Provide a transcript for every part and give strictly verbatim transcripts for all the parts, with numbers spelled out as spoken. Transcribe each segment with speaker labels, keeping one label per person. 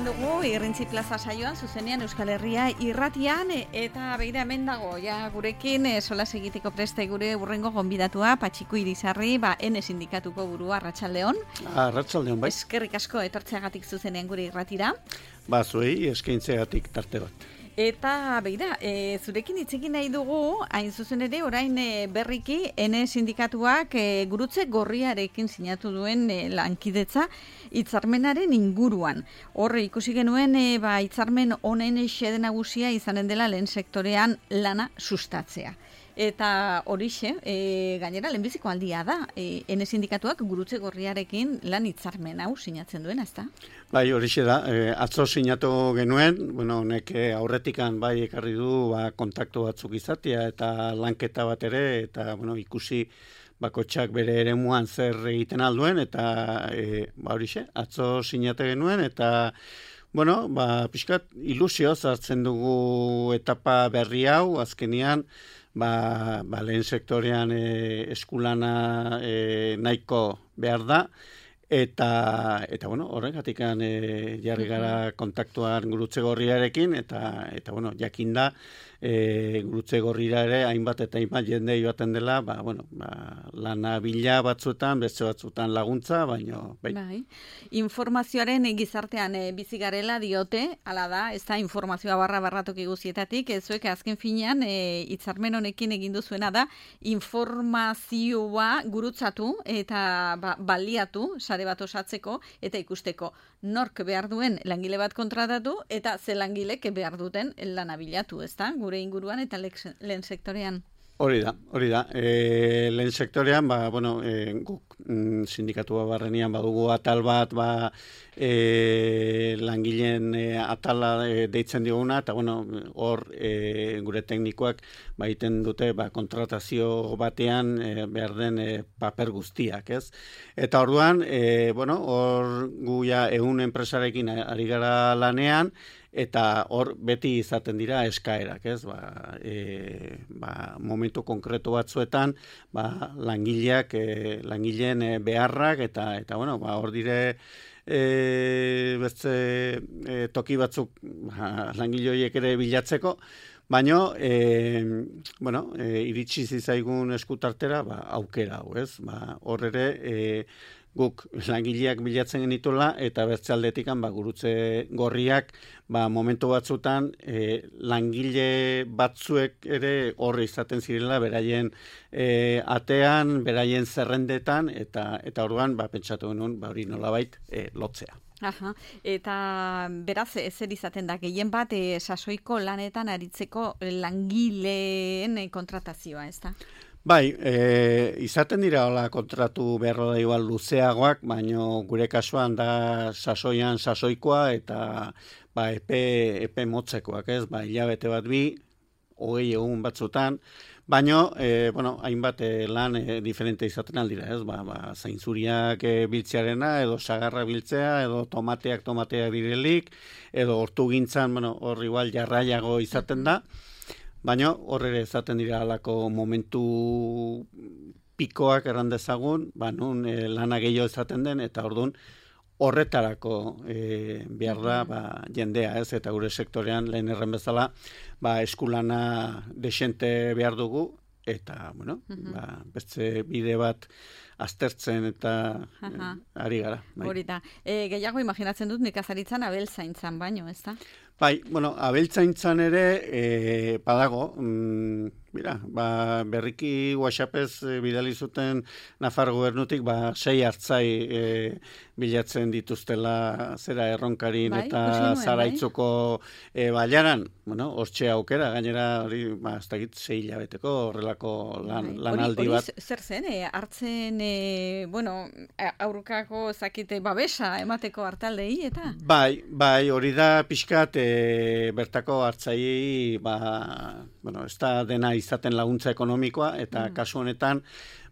Speaker 1: dugu Irrintzi Plaza saioan, zuzenean Euskal Herria irratian, eta begira hemen dago, ja gurekin solas egiteko preste gure urrengo gonbidatua, Patxiku Irizarri, ba, Ene sindikatuko burua, Arratsaldeon.
Speaker 2: Arratsaldeon, bai.
Speaker 1: Eskerrik asko etortzeagatik zuzenean gure irratira.
Speaker 2: Ba, zuei eskaintzeagatik tarte bat.
Speaker 1: Eta, begira, e, zurekin hitzekin nahi dugu, hain zuzen ere, orain e, berriki, Ene sindikatuak e, gurutze gorriarekin sinatu duen e, lankidetza hitzarmenaren inguruan. Horre, ikusi genuen, e, ba, hitzarmen honen xede nagusia izanen dela lehen sektorean lana sustatzea. Eta horixe, e, gainera, lehenbiziko aldia da, e, Ene sindikatuak gurutze gorriarekin lan hitzarmen hau sinatzen duena, ezta?
Speaker 2: Bai, horixe da, e, atzo sinatu genuen, bueno, honek aurretikan bai ekarri du ba, kontaktu batzuk izatea eta lanketa bat ere, eta bueno, ikusi bakotxak bere eremuan zer egiten alduen, eta e, ba, horixe, atzo sinatu genuen, eta bueno, ba, pixkat ilusioz hartzen dugu etapa berri hau, azkenian, Ba, ba, lehen sektorean e, eskulana e, nahiko behar da, eta, eta bueno, horregatik e, jarri gara kontaktuan gurutze gorriarekin, eta, eta bueno, jakin da, e, gurutze gorrira ere hainbat eta hainbat jende joaten dela, ba, bueno, ba, lana bila batzuetan, beste batzuetan laguntza, baino, bai.
Speaker 1: Bai. Informazioaren gizartean e, bizi garela diote, hala da, ez da informazioa barra barratoki guzietatik, ez zuek azken finean e, hitzarmen honekin egin duzuena da, informazioa gurutzatu eta ba, baliatu, sare bat osatzeko eta ikusteko nork behar duen langile bat kontratatu eta ze langilek behar duten lana bilatu, ezta? Gure inguruan eta lehen sektorean.
Speaker 2: Hori da, hori da. E, lehen sektorean, ba, bueno, e, guk mm, sindikatua barrenian badugu atal bat, ba, e, langileen e, atala e, deitzen diguna, eta bueno, hor e, gure teknikoak ba, egiten dute ba, kontratazio batean e, behar den e, paper guztiak, ez? Eta orduan, e, bueno, hor gu ja ehun enpresarekin ari gara lanean, eta hor beti izaten dira eskaerak, ez? Ba, e, ba, momentu konkretu batzuetan, ba, langileak, e, langileen e, beharrak, eta, eta bueno, ba, hor dire e, beste e, toki batzuk ba, langile horiek ere bilatzeko, baina, e, bueno, e, iritsi zizaigun eskutartera, ba, aukera hau, ez? Ba, hor ere, e, guk langileak bilatzen genituela eta beste aldetikan ba, gurutze gorriak ba, momentu batzutan e, langile batzuek ere horre izaten zirela beraien e, atean, beraien zerrendetan eta eta orduan ba, pentsatu genuen ba, hori nolabait e, lotzea.
Speaker 1: Aha, eta beraz ezer izaten da gehien bat e, sasoiko lanetan aritzeko langileen e, kontratazioa, ez da?
Speaker 2: Bai, e, izaten dira hola kontratu beharro da igual luzeagoak, baina gure kasuan da sasoian sasoikoa eta ba, epe, epe motzekoak, ez? Ba, hilabete bat bi, hogei egun batzutan, baina, e, bueno, hainbat e, lan e, diferente izaten aldira, ez? Ba, ba, zainzuriak e, biltzearena, edo sagarra biltzea, edo tomateak tomateak direlik, edo hortu gintzan, bueno, hor igual jarraiago izaten da, baina horre izaten dira alako momentu pikoak erran dezagun, ba, nun e, lana gehiago izaten den, eta orduan horretarako e, behar da ba, jendea, ez, eta gure sektorean lehen erren bezala, ba, eskulana desente behar dugu, eta, bueno, uh-huh. ba, beste bide bat aztertzen eta e, ari gara. Bai.
Speaker 1: Hori da. E, gehiago imaginatzen dut nekazaritzan abeltzaintzan baino, ez da?
Speaker 2: Bai, bueno, abeltzaintzan ere e, badago, mm, mira, ba, berriki WhatsAppez e, bidali zuten Nafar gobernutik, ba, sei hartzai e, bilatzen dituztela zera erronkarin
Speaker 1: bai,
Speaker 2: eta zaraitzuko e, bailaran, bueno, hortxe aukera, gainera hori, ba, ez dakit, sei hilabeteko horrelako lan, bai. lanaldi
Speaker 1: hori,
Speaker 2: bat.
Speaker 1: Hori zer zen, e, hartzen, e, bueno, aurkako zakite babesa emateko hartaldei, eta?
Speaker 2: Bai, bai, hori da pixkat, e, bertako hartzaiei, ba, bueno, ez da dena izaten laguntza ekonomikoa, eta mm. kasu honetan,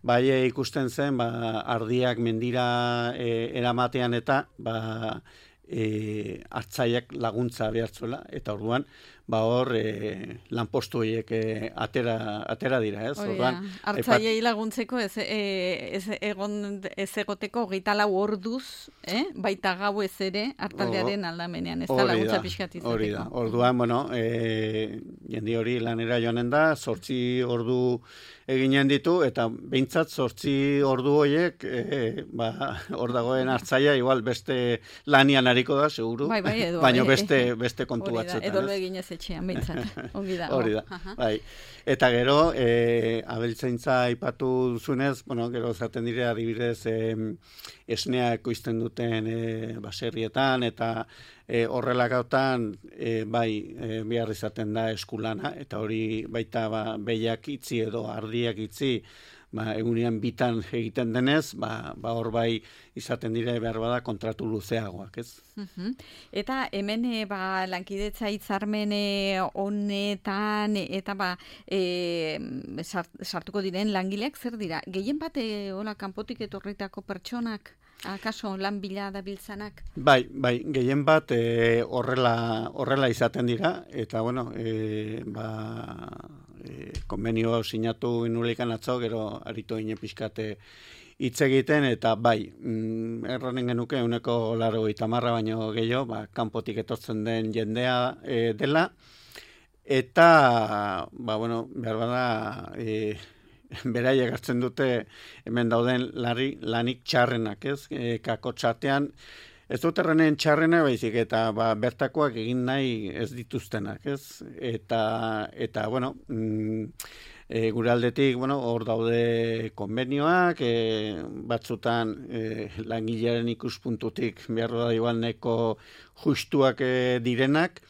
Speaker 2: bai ikusten zen, ba, ardiak mendira e, eramatean eta, ba, e, hartzaiak laguntza behartzuela, eta orduan, ba hor e, lanpostu horiek e, atera, atera dira, ez?
Speaker 1: Orduan, hartzaileei laguntzeko ez, e, ez egon ez egoteko hogeita lau orduz, eh? Baita gau ez ere hartaldearen aldamenean, ez da laguntza pixkat izateko.
Speaker 2: Hori da, orduan, bueno, e, jendi hori lanera joanen da, zortzi ordu eginen ditu, eta behintzat zortzi ordu horiek, e, ba, hor dagoen hartzaia, igual beste lanian hariko da, seguru,
Speaker 1: bai, bai, edo,
Speaker 2: baina
Speaker 1: e,
Speaker 2: beste, beste kontu batzuetan.
Speaker 1: Edo lo egin ez etxean, behintzat, ongi da.
Speaker 2: Hori da, bai. Eta gero, e, abeltzaintza aipatu duzunez, bueno, gero zaten dire adibidez, e, esneak ekoizten duten e, baserrietan, eta e, horrelakautan, e, bai, e, behar izaten da eskulana, eta hori baita ba, behiak itzi edo ardiak itzi, ba, egunean bitan egiten denez, ba, ba hor bai izaten dire behar bada kontratu luzeagoak, ez?
Speaker 1: Uh-huh. Eta hemen e, ba, lankidetza hitzarmen honetan eta ba, e, sart, sartuko diren langileak zer dira? Gehien bat e, hola kanpotik etorritako pertsonak? Akaso lan bila dabiltzanak?
Speaker 2: Bai, bai, gehien bat e, horrela, horrela izaten dira, eta bueno, e, ba, e, konbenio sinatu inulikan atzo, gero aritu ginen pixkate hitz egiten, eta bai, mm, erronen genuke uneko laro itamarra baino gehiago, ba, kanpotik etortzen den jendea e, dela, eta, ba, bueno, behar bada, e, beraiek hartzen dute hemen dauden lari, lanik txarrenak, ez? E, kako txatean, ez dut errenen txarrena baizik, eta ba, bertakoak egin nahi ez dituztenak, ez? Eta, eta bueno, mm, e, gure aldetik, bueno, hor daude konbenioak, e, batzutan e, langilearen ikuspuntutik behar da igual neko justuak e, direnak,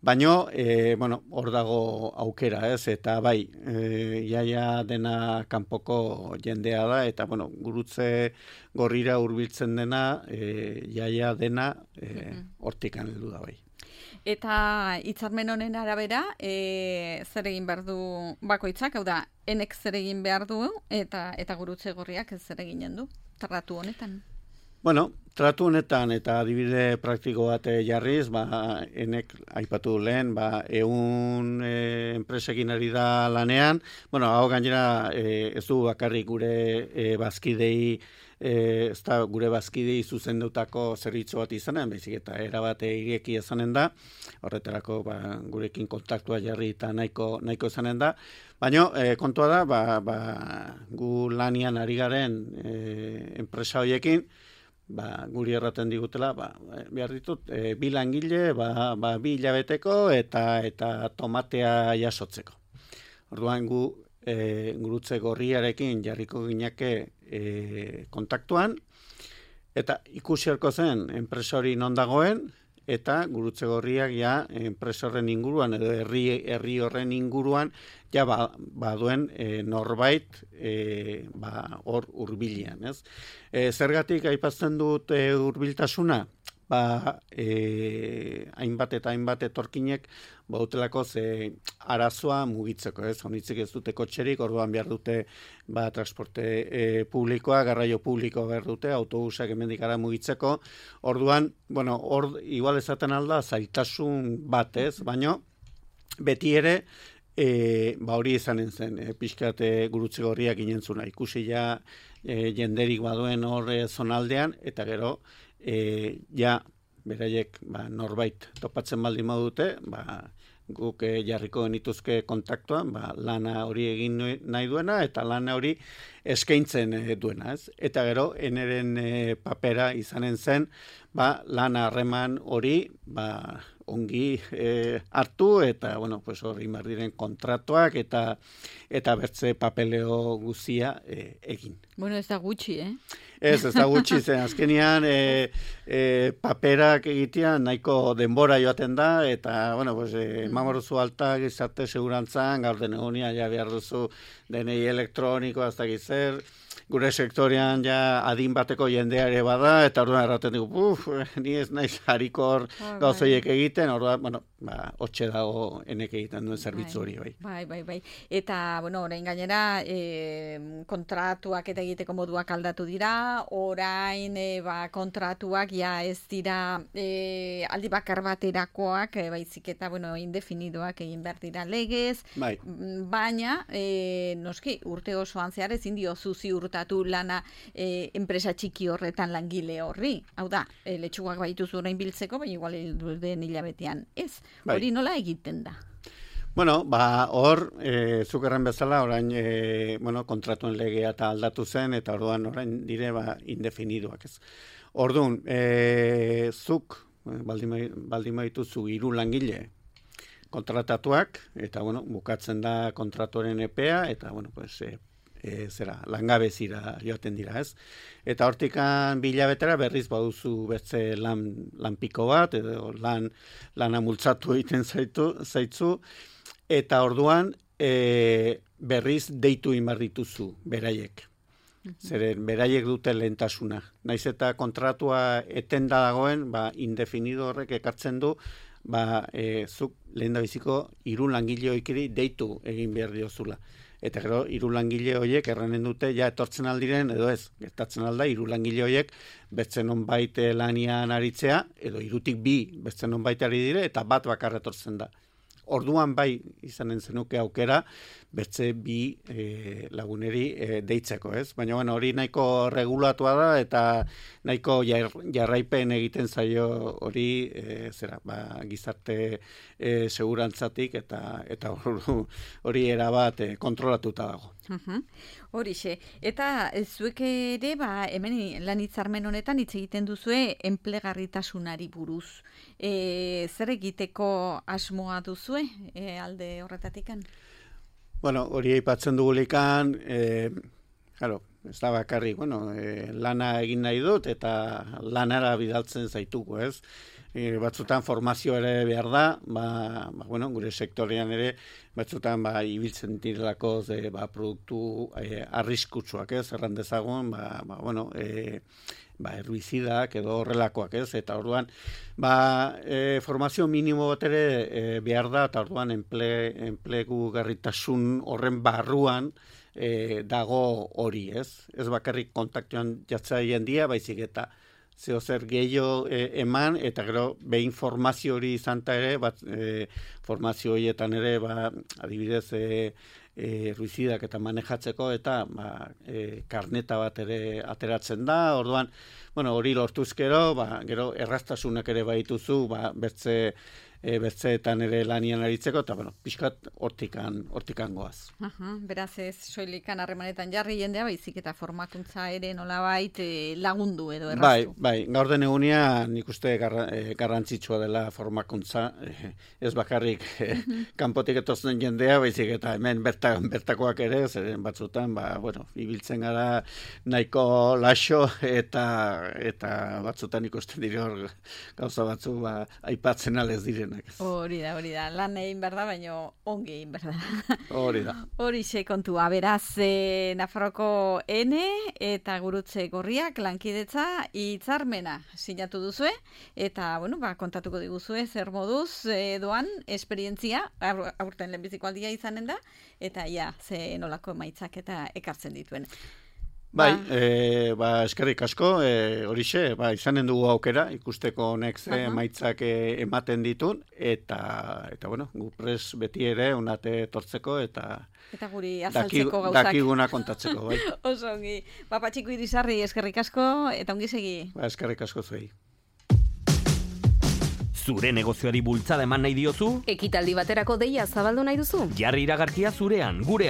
Speaker 2: baino, e, bueno, hor dago aukera, ez, eta bai, e, jaia dena kanpoko jendea da, eta, bueno, gurutze gorrira hurbiltzen dena, e, jaia dena e, hortikan heldu da bai.
Speaker 1: Eta hitzarmen honen arabera, e, zer egin behar du bakoitzak, hau da, enek zer egin behar du, eta, eta gurutze gorriak zer eginen du, tratu honetan.
Speaker 2: Bueno, tratu honetan eta adibide praktiko bat jarriz, ba, enek aipatu lehen, ba, eun e, enpresekin ari da lanean, bueno, hau gainera e, ez du bakarrik gure e, bazkidei, e, ez da gure bazkidei zuzendutako zerbitzu bat izanen, baizik eta erabat ireki izanen da, horretarako ba, gurekin kontaktua jarri eta nahiko, nahiko izanen da, baina e, kontua da, ba, ba, gu lanian ari garen e, enpresa horiekin, ba, guri erraten digutela, ba, behar ditut, e, bi langile, ba, ba, bi hilabeteko eta eta tomatea jasotzeko. Orduan gu e, gurutze gorriarekin jarriko ginake e, kontaktuan, eta ikusi harko zen enpresori non dagoen, eta gurutze gorriak ja enpresorren inguruan edo herri, herri horren inguruan ja ba, baduen e, norbait e, ba, hor hurbilean, ez? E, zergatik aipatzen dut e, hurbiltasuna? Ba, e, hainbat eta hainbat etorkinek bautelako ze arazoa mugitzeko, ez? Honitzik ez dute kotxerik, orduan behar dute ba, transporte e, publikoa, garraio publikoa behar dute, autobusak hemendik ara mugitzeko, orduan, bueno, hor igual ezaten alda zailtasun bat, ez? Baina, beti ere, e, ba hori izanen zen, e, pixkat e, gurutze gorriak inentzuna, ikusi ja e, jenderik baduen hor e, zonaldean, eta gero, E, ja, beraiek ba, norbait topatzen baldin badute, ba, guk e, jarriko genituzke kontaktuan, ba, lana hori egin nahi duena, eta lana hori eskaintzen e, duena, ez? Eta gero, eneren e, papera izanen zen, ba, lana harreman hori, ba, ongi e, hartu, eta, bueno, pues hori mardiren kontratuak, eta eta bertze papeleo guzia e, egin.
Speaker 1: Bueno, ez da gutxi, eh?
Speaker 2: Ez, ez da gutxi zen, azkenian e, e, paperak egitean nahiko denbora joaten da, eta, bueno, pues, e, mamorzu alta gizarte segurantzan, gaur den egunia ja behar duzu denei elektroniko, hasta gizer, gure sektorean ja adin bateko jendea ere bada, eta orduan erraten dugu, uf, ni ez naiz harikor gauzoiek egiten, orduan, bueno, ba, hotxe dago enek egiten duen zerbitzu hori, bai.
Speaker 1: Bai, bai, bai. Eta, bueno, orain gainera, e, kontratuak eta egiteko moduak aldatu dira, orain e, ba, kontratuak ja ez dira e, aldi bakar baterakoak, e, baizik eta, bueno, indefinidoak egin behar dira legez,
Speaker 2: bai.
Speaker 1: Baina, e, noski, urte osoan zehar ezin diozu ziurtatu lana e, enpresa txiki horretan langile horri. Hau da, e, letxuak baituzu orain biltzeko, baina igual den hilabetean ez.
Speaker 2: Bai.
Speaker 1: Hori nola egiten da?
Speaker 2: Bueno, ba, hor, e, zuk erran bezala, orain, e, bueno, kontratuen legea eta aldatu zen, eta orduan orain dire, ba, indefiniduak ez. Orduan, e, zuk, baldin baituzu hiru langile kontratatuak, eta, bueno, bukatzen da kontratuaren epea, eta, bueno, pues, e, e, zera, langabezira joaten dira, ez? Eta hortikan bilabetera berriz baduzu bertze lan, lanpiko bat, edo lan, lana multzatu egiten zaitu, zaitzu, eta orduan e, berriz deitu inbar dituzu beraiek. Zeren, beraiek dute lehentasuna. Naiz eta kontratua etenda dagoen, ba, indefinido horrek ekartzen du, ba, e, zuk lehen da biziko hiru langile hoikiri deitu egin behar diozula. Eta gero, hiru langile horiek erranen dute, ja etortzen aldiren, edo ez, gertatzen alda, hiru langile horiek betzen onbait lanian aritzea, edo hirutik bi betzen onbait ari dire, eta bat bakarra etortzen da. Orduan bai izanen zenuke aukera, bertze bi e, laguneri e, deitzeko, ez? Baina bueno, hori nahiko regulatua da eta nahiko jar, jarraipen egiten zaio hori e, zera, ba, gizarte e, segurantzatik eta eta hori erabat e, kontrolatuta dago.
Speaker 1: Uh-huh. Horixe. Eta zuek ere, ba, hemen lan hitzarmen honetan hitz egiten duzue enplegarritasunari buruz. E, zer egiteko asmoa duzue e, alde horretatikan?
Speaker 2: Bueno, hori aipatzen dugulikan, e, claro, ez da bakarrik, bueno, e, lana egin nahi dut eta lanara bidaltzen zaituko, ez? E, batzutan formazio ere behar da, ba, ba, bueno, gure sektorean ere, batzutan ba, ibiltzen direlako ze, ba, produktu e, arriskutsuak, ez? Erran dezagun, ba, ba, bueno, e, ba, herbizidak edo horrelakoak, ez? Eta orduan, ba, e, formazio minimo bat ere e, behar da, eta orduan enple, enplegu garritasun horren barruan e, dago hori, ez? Ez bakarrik kontaktuan jatzaien dia, baizik eta zeo zer gehiago e, eman, eta gero behin formazio hori izanta ere, bat, e, formazio horietan ere, ba, adibidez, e, e, ruizidak eta manejatzeko, eta ba, e, karneta bat ere ateratzen da, orduan, bueno, hori lortuzkero, ba, gero erraztasunak ere baituzu, ba, bertze, e, bertzeetan ere lanian aritzeko, eta, bueno, pixkat hortikan, hortikan goaz.
Speaker 1: Uh-huh, beraz ez soilikan harremanetan jarri jendea, baizik eta formakuntza ere nolabait e, lagundu edo erraztu.
Speaker 2: Bai, bai, gaur den egunia nik uste garra, e, garrantzitsua dela formakuntza, e, ez bakarrik e, kanpotik etortzen jendea, baizik eta hemen berta, bertakoak ere, zeren batzutan, ba, bueno, ibiltzen gara nahiko laxo, eta eta batzutan ikusten dire hor gauza batzu, ba, aipatzen alez diren.
Speaker 1: Hori da, hori da. Lan egin behar da, baina ongi egin behar da.
Speaker 2: Hori da.
Speaker 1: Horixe kontua. Beraz, e, Nafarroko N eta Gurutze Gorriak lankidetza hitzarmena sinatu duzue, eta, bueno, ba, kontatuko diguzue zer moduz e, doan esperientzia, aur, aurten lehenbiziko aldia izanen da, eta ja, ze nolako emaitzak eta ekartzen dituen.
Speaker 2: Bai, ba, e, ba eskerrik asko, e, horixe, ba, izanen dugu aukera, ikusteko honek ze emaitzak e, ematen ditun, eta, eta bueno, gu pres beti ere onate etortzeko, eta
Speaker 1: eta guri azaltzeko gauzak.
Speaker 2: Dakiguna kontatzeko, bai.
Speaker 1: Oso ongi. Ba, Patxiku Irisarri, eskerrik asko, eta ongi segi.
Speaker 2: Ba, eskerrik asko zuei.
Speaker 3: Zure negozioari bultzada eman nahi diozu?
Speaker 4: Ekitaldi baterako deia zabaldu nahi duzu?
Speaker 3: Jarri iragarkia zurean, gurean.